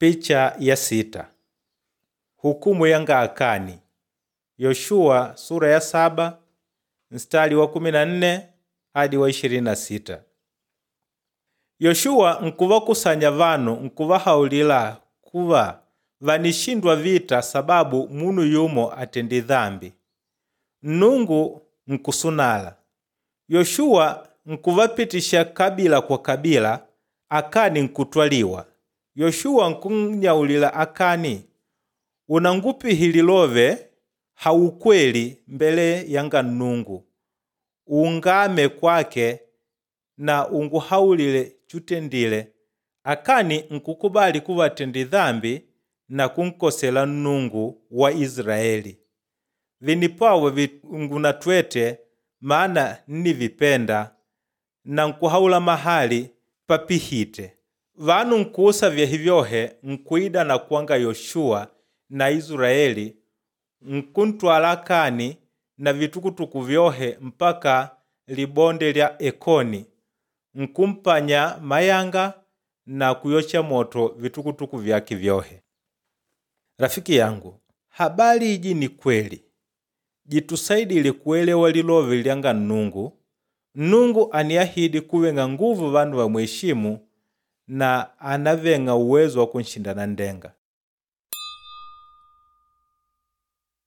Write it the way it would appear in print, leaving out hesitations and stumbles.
Picha ya 6. Hukumu yanga Akani. Yoshua sura ya 7 mstari wa 14 hadi wa 26. Yoshua nkuvakusanya vanu nkuvahaulila kuva vanishindwa vita sababu munu yumo atendi dhambi. Nnungu nkusunala. Yoshua nkuvapitisha kabila kwa kabila, Akani nkutwaliwa. Yoshua nkunnyaulila Akani, unangupihi lilove haukweli mbele yanga Nnungu, ungame kwake na unguhaulile chutendile. Akani nkukubali kuva atendi dhambi na kunkosela Nnungu wa Israeli. Vinipawa ngunatwete maana nnivipenda na nkuhaula mahali papihite. Vanu nkuusa vyehi vyohe nkuida na kwanga Yoshua na Israeli nkuntwala Akani na vitukutuku vyohe mpaka libonde lya Ekoni nkumpanya mayanga na kuyocha moto vitukutuku vyake vyohe. Rafiki yangu, habari iji ni kweli jitusaidile kuelewa lilove lyanga Nnungu. Nnungu aniahidi kuveng'a nguvu vanu vamweshimu na anaveng'a uwezo wa kunshinda nandeng'a.